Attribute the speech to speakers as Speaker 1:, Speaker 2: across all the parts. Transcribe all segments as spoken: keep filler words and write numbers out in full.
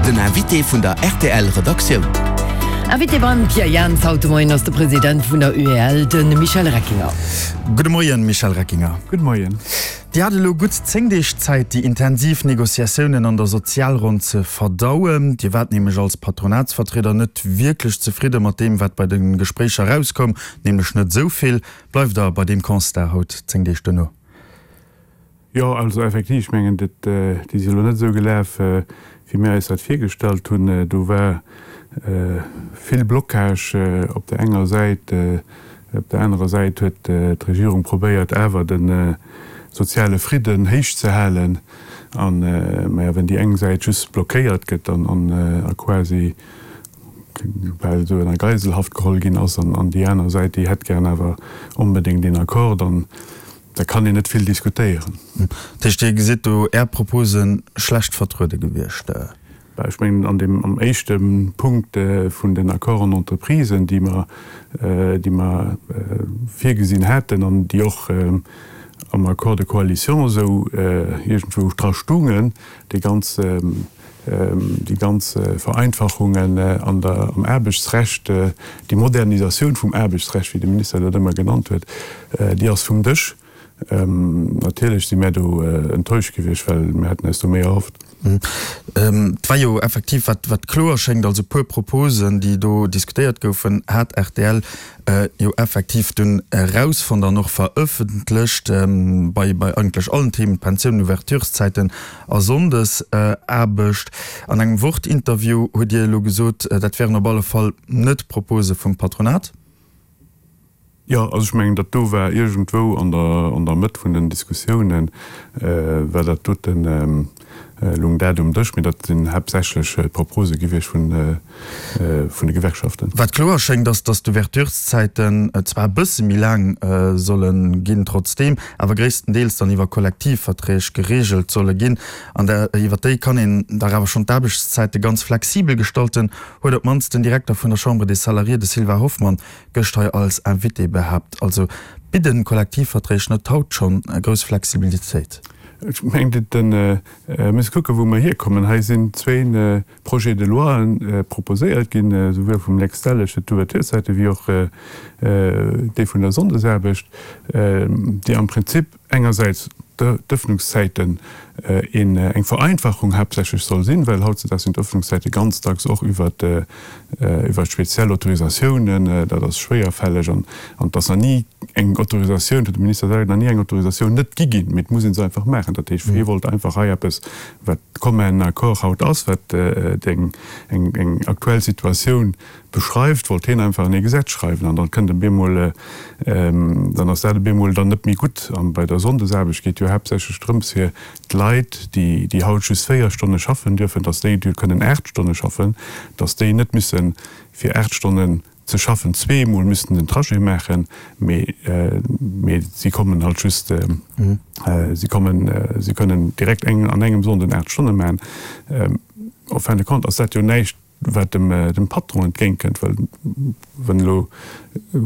Speaker 1: Den Invité vun der R T L Redaktioun.
Speaker 2: Invité beim Pierre Jans haut de Moien ass de President vun der U E L, de Michel Reckinger.
Speaker 3: Gudde Moien, Michel Reckinger.
Speaker 4: Gudde Moien.
Speaker 3: Dir hat elo gutt zéng Deeg Zäit, déi intensiv Negociatiounen an der Sozialronn ze verdauen. Dir waart nämlech als Patronatsvertrieder net wierklech zefridde mat deem, wat bei de Gespréicher erauskoum, nämlech net esou vill. Bleift Der bei deem Constat haut, zéng Deeg duerno?
Speaker 4: Jo, also effektiv, ech mengen, dat, déi si elo net esou gelaf, wéi mir eis dat virgestallt hunn. Do war vill Blocage op der enger Säit, op der anerer Säit huet d'Regierung probéiert, awer de soziale Fridden héich ze halen. An, maja, wenn déi eng Säit just blockéiert gëtt an a quasi bal esou a Geiselhaft geholl ginn ass, an déi aner Säit, déi hätt gären awer onbedéngt een Accord, dann da kann een net vill diskutéieren.
Speaker 3: Dat heescht, Dir gesitt do Är Propose schlecht vertruede gewiescht?
Speaker 4: Bah, ech mengen, an deem, am éischte Punkt vun den Accords en entreprise, déi mer, déi mer virgesinn haten an déi och am Accord de coalition esou iergendwou dra stungen, déi ganz, déi ganz Vereinfachungen an der, am Aarbechtsrecht, déi Modernisatioun vum Aarbechtsrecht, wéi de Minister dat ëmmer genannt huet, déi ass vum Dësch. Natierlech si mär do enttäuscht gewiescht, well mir haten eis do méi erhofft.
Speaker 3: Et war jo effektiv, wat wat kloer schéngt, also e puer Proposen, déi do diskutéiert goufen, hat R T L jo effektiv dunn erausfonnt an och verëffentlecht, bei bei eigentlech allen Themen, Pensiounen, Ouvertureszäiten a Sonndesaarbecht. An engem Wort-Interview hutt Dir elo gesot, dat wären op alle Fall net Propose vum Patronat.
Speaker 4: Jo, also ech mengen, dat do war iergendwou an der an der Mëtt vun den Diskussiounen, war dat doten, lung dat um Dësch, mee dat sinn haaptsächlech d'Propose gewiescht vun vun de Gewerkschaften.
Speaker 3: Wat kloer schéngt, ass, datt d'Ouvertureszäiten zwar e bësse méi laang solle ginn, trotzdeem awer gréisstendeels dann iwwer Kollektivverträg gereegelt solle ginn. An iwwer déi kann een dach awer schonn d'Aarbechtszäite ganz flexibel gestalten, huet op d'mannst den Direkter vun der Chambre des Salariés, de Sylvain Hoffmann, gëscht hei als Invité behaapt. Also bidden Kollektivverträg net haut schonn grouss Flexibilitéit?
Speaker 4: Ech mengen, den mir kucke wou mer hierkommen. Hei sinn zwéin Projets de loi proposéiert ginn, esouwuel vum Lex Delles fir d'Ouvertureszäite wéi och dee vun der Sonndesaarbecht, déi am Prinzip engersäits d'Ëffnungszäiten eng Vereinfachung haaptsächlech soll sinn, well hautzedaags sinn d'Ëffnungszäite ganz dacks och iwwer iwwer speziell Autorisatiounen, dat ass schwéierfälleg an et ass nach ni eng Autorisatioun, huet de Minister selwer, nach ni eng Autorisatioun net gi ginn, mee et muss ee se einfach maachen. Dat heescht, hie wollt einfach hei eppes, wat commun accord haut ass, wat eng eng aktuell Situatioun beschreift, wollt hien einfach an ee Gesetz schreiwen an dann kënnt e bemol, dann ass dat e bemol dann net méi gutt. An bei der Sonndesaarbecht geet jo haaptsächlech drëms fir d'Leit, déi déi haut just véier Stonne schaffen dürfen, datt déi kënnen aacht Stonne schaffen, datt déi net müssen fir aacht Stonnen ze schaffen zweemol müssten den Trajet maachen, mee mee si kommen halt just, si kommen, si kënnen direkt eng an engem Sonnden aacht Stonne maachen. En fin de compte ass dat jo näischt, wat dem dem Patron entgéintkënnt, well wann elo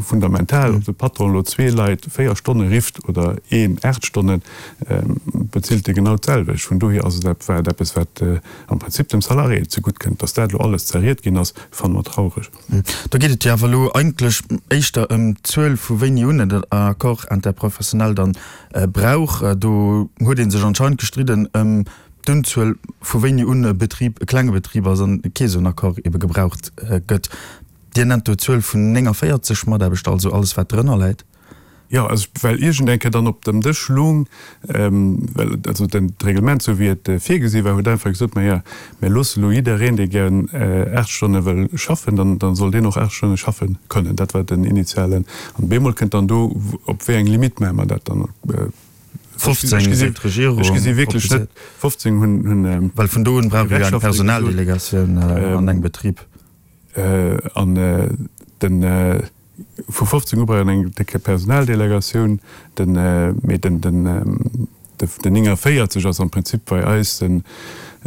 Speaker 4: fundamental, ob de Patron elo zwee Leit véier Stonne rifft oder een aacht Stonnen, bezilt e genau d'selwecht. Vun dohier ass et war et eppes, wat am Prinzip dem Salarié zegutt kënnt. Datt dat elo alles zerriet ginn ass, fanne mer traureg.
Speaker 3: Do geet et jo awer elo eigentlech éischter ëm d'Zuel, vu wéini un en Accord interprofessionnel dann brauch. Do huet ee sech anscheinend gestridden ëm d'Unzuel, vu wéini un e Betrib e klenge Betrib ass an kee sou en Accord ebe gebraucht gëtt. Dir nennt do d'Zuel vun néngavéierzeg Mataarbechter, also alles wat drënner läit.
Speaker 4: Jo, also well iergend eng Kéier dann op dem Dësch lung, well also den d'Reglement esou wéi et virgesi war, huet einfach gesot, maja, mir loosse elo jiddereen, dee gären aacht Stonne wëll schaffen, dann dann soll deen och aacht Stonne schaffe kënnen. Dat war den initialen. An bemol kënnt dann do, op wéi eng Limite maache mer dat dann?
Speaker 3: fofzéng seet d'Regierung.
Speaker 4: Ech gesi wierklech net, fofzéng hunn hunn.
Speaker 3: Well vun do un brauch ee jo eng Personaldelegatioun an engem Betrib.
Speaker 4: An den, vu fofzéng u brauch een eng décke Personaldelegatioun. Den, mee den, den, den néngavéierzeg ass am Prinzip bei eis den,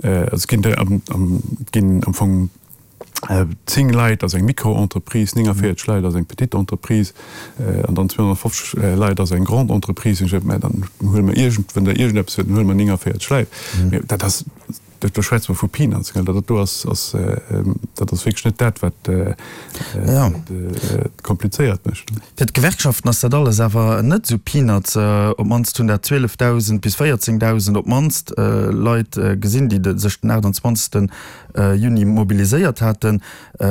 Speaker 4: also et ginn der am, am, et ginn am Fong zéng Leit ass eng Micro-Entreprise, néngavéierzeg Leit ass eng petite Entreprise an dann zweehonnertfofzeg Leit ass eng grande Entreprise. Mä dann huele mer iergend, wann Der iergendeppes huet, dann huele mer néngavéierzeg Leit. Mä dat ass, Do schwätze mer vu Peanuts, gell. Dat do ass, ass, dat ass wierklech net dat, wat et komplizéiert mécht.
Speaker 3: Fir d'Gewerkschaften ass dat alles awer net esou Peanuts. Op d'mannst hunn dat zwielefdausend bis véierzéngdausend op d'mannst Leit gesinn, déi sech den aachtanzwanzegsten Juni mobiliséiert haten.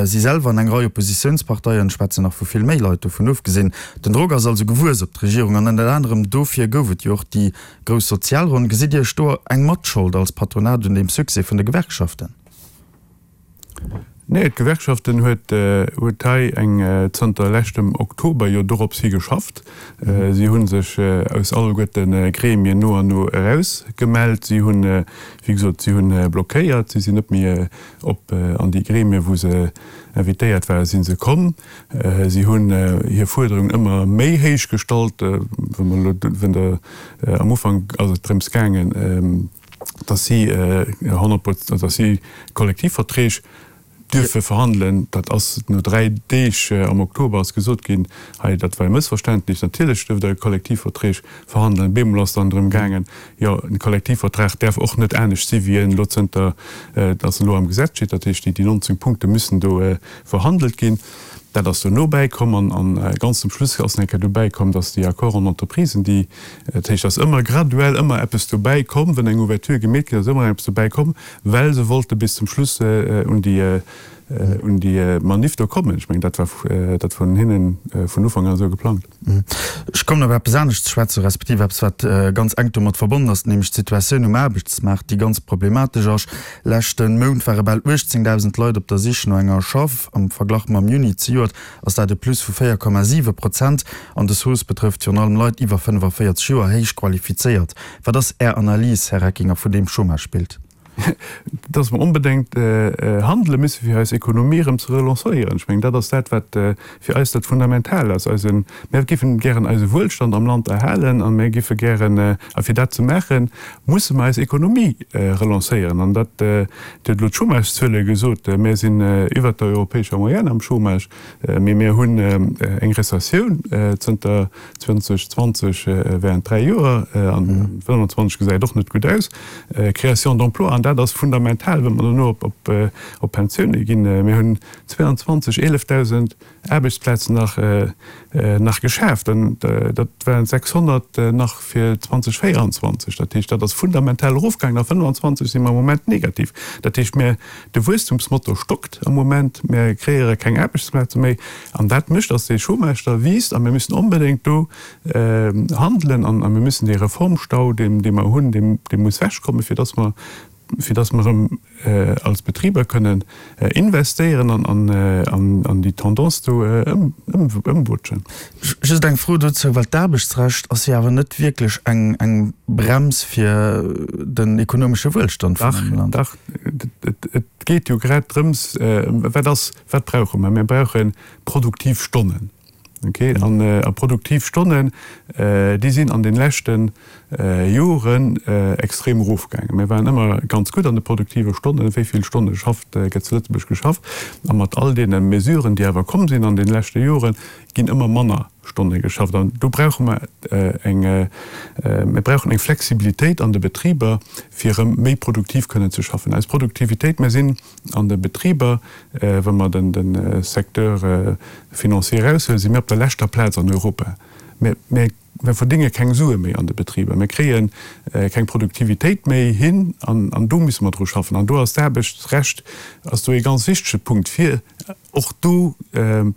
Speaker 3: Si selwer an eng Rei Oppositiounsparteien schwätzen nach vu vill méi Leit. Dovun ofgesinn, den Drock ass also gewuess op d'Regierung an ënnert anerem dofir gouf et jo och déi grouss Sozialronn. Gesitt Dir Iech do eng Matschold als Patronat un deem Succès vun de Gewerkschaften?
Speaker 4: Nee, d'Gewerkschaften huet huet hei eng zanter leschtem Oktober jo dorops hi geschafft. Si hu sech aus alleguerte Gremien no an no erausgemellt. Si hunn, wéi gesot, si hunn blockéiert. Si sinn net méi op an déi Gremien, wou se invitéiert waren, si se komm. Si hunn hir Fuerderungen ëmmer méi héich gestallt. Wa mer elo, wenn Der, am Ufank ass et drëms gaangen, datt si honnert Prozent, datt si Kollektivverträg dierfe verhandelen. Dat ass no dräi Deeg am Oktober ass gesot ginn, hei dat war e Mëssverständnis, natierlech duerft Der Kollektivverträg verhandelen. Bemol ass dann drëm gaangen, jo e Kollektivvertrag däerf och net anescht si wéi en elo zënter datt en elo am Gesetz steet. Dat heescht, déi nonzéng Punkte müssen do verhandelt ginn. Dat ass dono bäikomm an a ganz zum Schluss ass nach eng Kéier dobäi komm, datt déi Accords en entreprise, déi, dat heescht, datt ëmmer graduell ëmmer eppes dobäi komm, wann eng Ouverture gemeet ginn ass, ëmmer eppes dobäi komm, well se wollte bis zum Schluss un déi, un déi Manif do kommen. Ech mengen, dat war, dat vun hinnen vun Ufank an esou geplangt.
Speaker 3: Ech kommen op eppes anescht ze schwätzen, respektiv eppes, wat ganz enk domat verbonnen ass, nämlech d'Situatioun um Aarbechtsmaart, déi ganz problematesch ass. Leschte Mount ware bal uechtzéngdausend Leit op der Sich no enger Schaff. Am Verglach mam Juni zejoert ass dat e Plus vu véier Komma siwe Prozent. An dës Hausse betrëfft virun allem Leit iwwer fënnefaféierzeg Joer, héich qualifizéiert. Wat ass Är Analys, Här Reckinger, vun deem Chômagebild?
Speaker 4: Dass mer onbedéngt handele müsse fir eis Ekonomie erëm ze relancéieren. Ech mengen, dat ass dat, wat fir eis dat Fundamental ass. Eisen, mir géifen gären eise Wuelstand am Land erhalen a mir géife gären, a fir dat ze maachen, musse mer eis Ekonomie relancéieren. An dat, Dir hutt elo d'Chômagezuele gesot, mir sinn iwwert der europäescher Moyenne am Chômage, mee mir hunn eng Rezessioun zënter zweitausendzwanzig während dräi Joer, an fënnwanzwanzeg gesäit och net gutt aus, Création d'emplois, an dat ass fundamental, wa mer dono op Pensioune ginn. Mir hunn zweeanzwanzeg eelefdausend Aarbechtsplazen nach nach geschaaft, an dat waren sechshonnert nach fir zweitausendvéieranzwanzeg. Dat heescht, dat ass fundamental erofgaangen. A fënnefanzwanzeg si mer am Moment negativ. Dat heescht, mir, de Wuesstumsmotor stockt am Moment, mir kreéiere keng Aarbechtsplaze méi, an dat mécht, datt dee Chômage da wiisst, a mir müssen onbedéngt do handelen, an mir müssen dee Reformstau, dee dee mer hunn, dee dee muss wechkommen, fir datt mer fir datt mer erëm als Betriber kënnen investéieren an an déi Tendance do ëmwutschen.
Speaker 3: Just eng Fro dozou, well d'Aarbechtsrecht ass jo awer net wierklech eng eng Brems fir den ekonomesche Wuelstand vun engem Land.
Speaker 4: Dach, dach, et geet jo grad drëms, wat ass, wat brauche mer? Mir brauche produktiv Stonnen. Okay, an a produktiv Stonnen, déi sinn an den leschte Joren extrem erofgaangen. Mir waren ëmmer ganz gutt an de produktive Stonnen, wéi vill Stonne schafft, gëtt zu Lëtzebuerg geschafft. A mat all deene Mesuren, déi awer komm sinn an den leschte Joren, ginn ëmmer manner Stonne geschafft. An do brauche mer eng, mir brauchen eng Flexibilitéit an de Betriber, fir erëm méi produktiv kënnen ze schaffen. Eis Produktivitéit, mir sinn an de Betriber, wa mer den de Secteur financier eraushuelen, si mir op der leschter Plaz an Europa. Mir mir verdénge keng Sue méi an de Betriber, mir kréie keng Produktivitéit méi hin an an do musse mer dru schaffen. An do ass d'Aarbechtsrecht ass do ee ganz wichtege Punkt, fir och do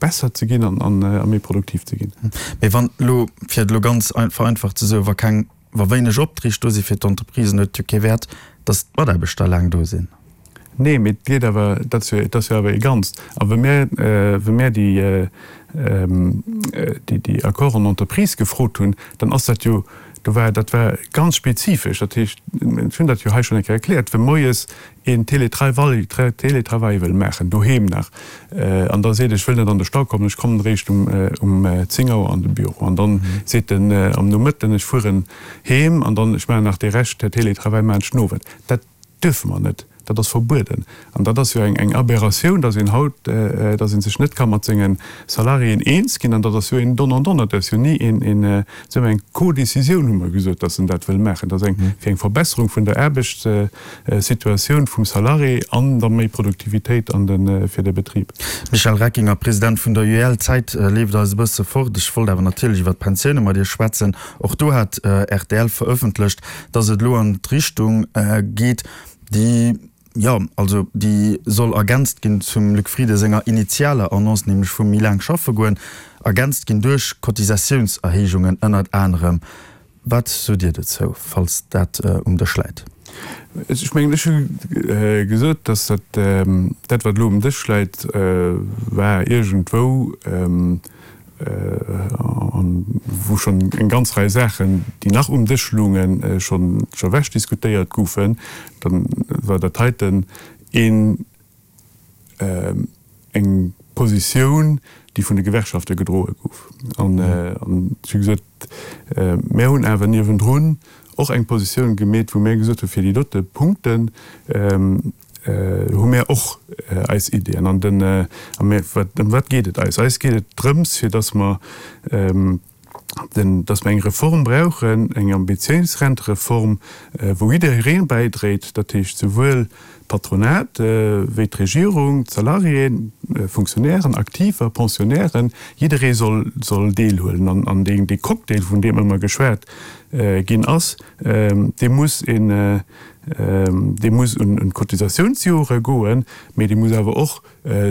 Speaker 4: besser ze ginn an an a méi produktiv ze ginn.
Speaker 3: Mee wann elo, fir et elo ganz vereinfacht ze soen, wa keng, wa wéineg Opträg do si fir d'Entreprisen, huet et jo kee Wäert, datt d'Mataarbechter laang do sinn.
Speaker 4: Nee, mee et geet awer, dat ass jo, et ass jo awer ee Ganzt. A wa mir, wa mir déi, déi, déi Accords en entreprise gefrot hunn, dann ass dat jo, do war, dat war ganz spezifesch. Dat heescht, ech hunn dat jo hei schonn eng Kéier erkläert, wa moies een Télétravail, Télétravail wëll maachen, doheem nach, an da seet, ech wëll net an de Stau kommen, ech kommen eréischt um, um zéng Auer an de Büro. An dann seet en am Nomëtten, ech fueren heem an dann, ech maachen nach dee Rescht Télétravail maachen ech den Owend. Dat dierfe mer net. Dat ass verbueden. An dat ass jo eng eng Aberratioun, dass een haut, dass ee sech net ka mat senge Salariéen eens ginn. An dat ass jo een Donnant-donnant, dat ass jo ni een, een, soe mer, eng Codécisioun, hu mer gesot, dass en dat wëll maachen. Dat ass eng fir eng Verbesserung vun der Aarbechtssituatioun vum Salarié an da méi Produktivitéit an de fir de Betrib.
Speaker 3: Michel Reckinger, President vun der UEL, D'Zäit leeft eis e bësse fort. Ech wollt awer natierlech iwwer d'Pensioune mat Iech schwätzen. Och do hat rtl verëffentlecht, dass et elo an d'Richtung geet, déi, jo, also déi soll ergänzt ginn zum Luc Frieden senger initialer Annonce, nämlech vum méi laang schaffe goen, ergänzt ginn duerch Cotisatiounserhéijungen ënnert anerem. Wat sot Dir dozou, falls dat um Dësch läit?
Speaker 4: Ech mengen, ech hu gesot, dass dat, dat wat elo um Dësch läit, war iergendwou, an wou schonn eng ganz Rei Saachen, déi nach um Dësch loungen, schonn ewech diskutéiert goufen, da war dat heiten een, eng Positioun, déi vun de Gewerkschafte gedroe gouf. An ech hu gesot, mär hunn awer niewendrun och eng Positioun gemeet, wou mär gesot hunn, fir déi dote Punkten hu mär och eis Iddien. An den, a mär, wat, ëm wat geet et eis? Eis geet et drëms, fir datt mer den, datt mer eng Reform brauchen, eng ambitiéis Rentereform, wou jidderee bäidréit, dat heescht souwuel d'Patronat wéi d'Regierung, d'Salariéen, Fonctionnairen, Aktiver, Pensionnairen, jidderee soll, soll deelhuelen. An, an deen, dee Cocktail, vun deem ëmmer geschwat ginn ass, dee muss een, dee muss un d'Cotisatiounsjore goen, mee dee muss awer och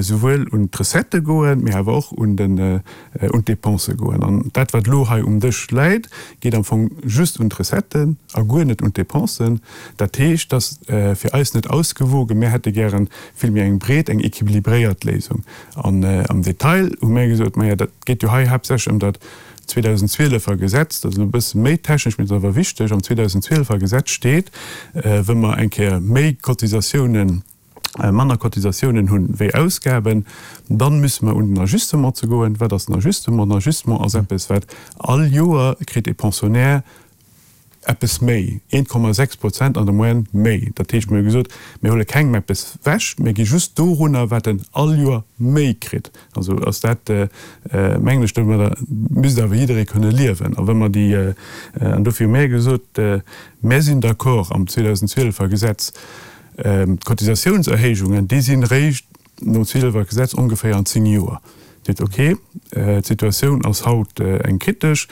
Speaker 4: souwuel un d'Recettë goen, mee awer och un den, un d'Dépensë goen. An dat, wat elo hei um Dësch läit, geet am Fong just un d'Recetten a guer net un d'Dépensen. Dat heescht, dat ass fir eis net ausgewogen. Mir hätte gäre vill méi eng breet, eng équilibréiert Léisung. An am Detail hu mir gesot, Maja, dat geet jo hei haaptsächlech ëm dat zweedausendzwielefer Gesetz, dat ass elo e bësse méi technesch, mee et ass awer wichteg, am zweedausendzwielefer Gesetz steet, wa mer eng Kéier méi Cotisatiounen, manner Cotisatiounen hunn wéi Ausgaben, dann müsse mer un den Ajustement ze goen. Wat ass den Ajustement? Den Ajustement ass eppes, wat all Joer kritt e Pensionnaire eppes méi, eent Komma sechs Prozent an der Moyenne méi. Dat heescht, mir hu gesot, mir huele kengem eppes ewech, mir gi just dorunner, wat en all Joer méi kritt. Also ass dat, mengen ech, domadder misst awer jidderee kënne liewen. A wa mer déi, an dofir hu mir gesot, mir sinn d'accord am zweedausendzwielefer Gesetz, D'Cotisatiounserhéijungen, déi sinn eréischt nom zwielefer Gesetz ongeféier an zéng Joer. Dat heescht, okay, d'Situatioun ass haut eng kritesch,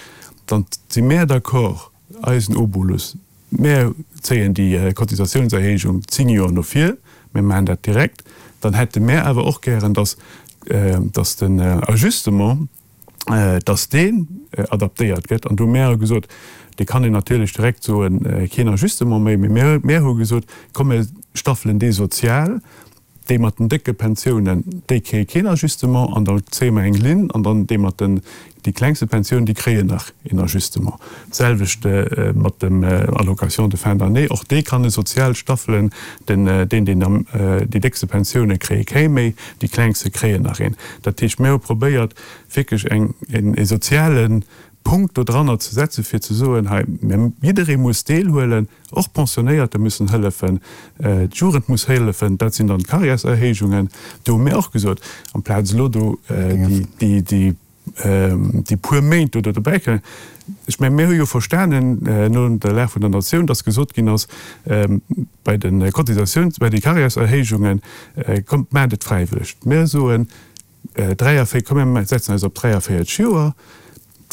Speaker 4: dann si mär d'accord, eisen Obolus, mär zéien déi Cotisatiounserhéijung zéng Joer no vir, mär maachen dat direkt. Dann hätte mär awer och gären, dass, dass den Ajustement, dass deen adaptéiert gëtt. An do hu mär gesot, dee kann een natierlech direkt soen, keen Ajustement méi, mee mär, mär hu gesot, komm mir staffelen dee sozial, déi mat den décke Pensiounen, déi kréie keen Ajustement an da zéie mer eng Linn an dann déi mat den, déi klengste Pensioun, déi kréien nach een Ajustement. D'selwecht mat dem Allocation de fin d'année, och dee kann e sozial staffelen, den, deen, deen am, déi déckste Pensioune kréie kee méi, déi klengste kréien nach een. Dat heescht, mir hu probéiert, wierklech eng, een soziale Punkt do dranner ze setzen, fir ze soen, hei, jidderee muss deelhuelen, och d'Pensionéierter müssen hëllefen, d'Jugend muss hëllefen, dat sinn dann d'Carrièreserhéijungen. Do hu mir och gesot, amplaz elo do déi, déi, déi puer Méint do dobäi kënnen, ech mengen, mir hu jo verstanen no der Lag vun der Natioun, dass gesot ginn ass, bei de Cotisatiouns-, bei de Carrièreserhéijungen, kommt, maacht et fräiwëlleg. Mir soen, dräiavéi-, komm mir setzen eis op dräiavéierteg Joer,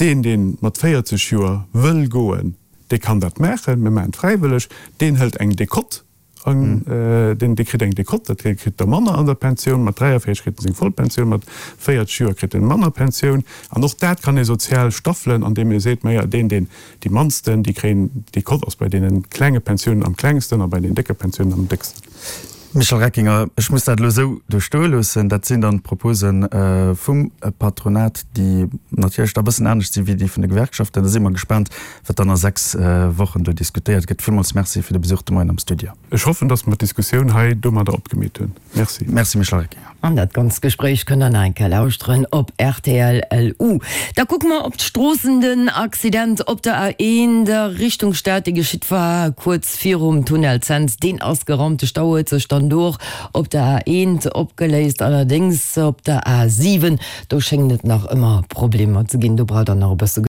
Speaker 4: deen, dee mat véierzeg Joer wëll goen, dee kann dat maachen, mir maachen et fräiwëlleg, deen hëlt eng Decote an, deen, dee kritt eng Decote, dat kritt da manner an der Pensioun, mat dräiavéierteg kritt en seng voll Pensioun, mat véierteg Joer kritt en manner Pensioun. An och dat kann ee sozial staffelen, andeem ee seet, maja, deen, deen déi mannsten, déi kréien, d'Decote ass bei deene klenge Pensiounen am klengsten a bei den décke Pensiounen am décksten.
Speaker 3: Michel Reckinger, Ech muss dat elo esou do stoe loossen. Dat sinn dann d'Propose vum Patronat, déi natierlech da e bëssen anescht si wéi déi vun de Gewerkschaften. Da si mer gespaant, wat dann a sechs Wochen do diskutéiert gëtt. Villmools Merci fir de Besuch de Moien am Studio.
Speaker 4: Ech hoffen, datt mer d'Diskussioun hei domadder opgemeet hunn. Merci.
Speaker 3: Merci, Michel Reckinger.
Speaker 2: An dat ganzt Gespréich kënnt der nach eng Kéier lauschteren op rtl. Lu. Da kucke mer op d'Stroossen. Den Accident op der A eent a Richtung Stad, dee geschitt war kuerz virum Tunnel Cents, deen ass geraumt. De Stau huet sech dann an do och op der A eent opgeléist. Allerdéngs op der A siwen, do schéngen et nach ëmmer Problemer ze ginn. Do braucht Der nach e bësse.